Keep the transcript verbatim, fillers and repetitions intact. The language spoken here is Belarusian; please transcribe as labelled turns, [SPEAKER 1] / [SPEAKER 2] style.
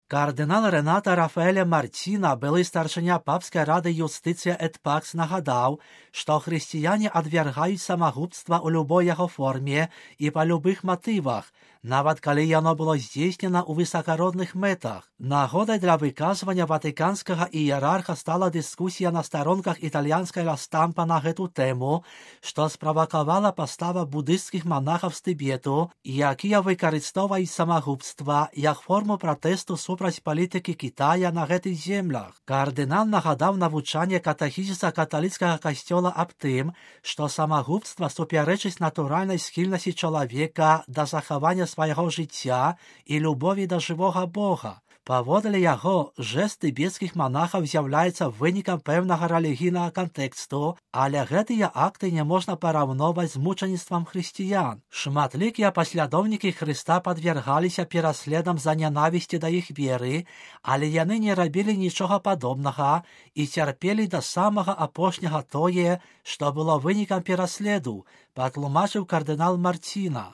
[SPEAKER 1] Кардинал Рената Рафаеля Мартіна, былы старшыня папскай рады юстыцыя эт пакс, нагадаў, што хрысціяне адвяргаюць самагубства ў любой яго форме і па любых матывах, нават калі яно было здзейснена ў высакародных мэтах. Нагодай для выказвання ватыканскага іерарха стала дыскусія на старонках італьянскай Ла Стампа на гэту тэму, што справакавала пастава будысцкіх манахаў з Тыбету, якія выкарыстоўваюць самагубства як форму пратэсту супраць палітыкі Кітая на гэтых землях. Кардынал нагадаў навучанне катэхізіса каталіцкага касцёла аб тым, што самагубства супярэчыць натуральнай схільнасці чалавека да захавання свайго жыцця і любові да жывога Бога. Паводле яго, жэст тыбецкіх манахаў з'яўляецца вынікам пэўнага рэлігійнага кантэксту, але гэтыя акты не можна параўноўваць з мучаніцтвам хрысціян. Шматлікія паслядоўнікі Хрыста падвяргаліся пераследам за нянавісці да іх веры, але яны не рабілі нічога падобнага і цярпелі да самага апошняга тое, што было вынікам пераследу, патлумачыў кардынал Мартіна.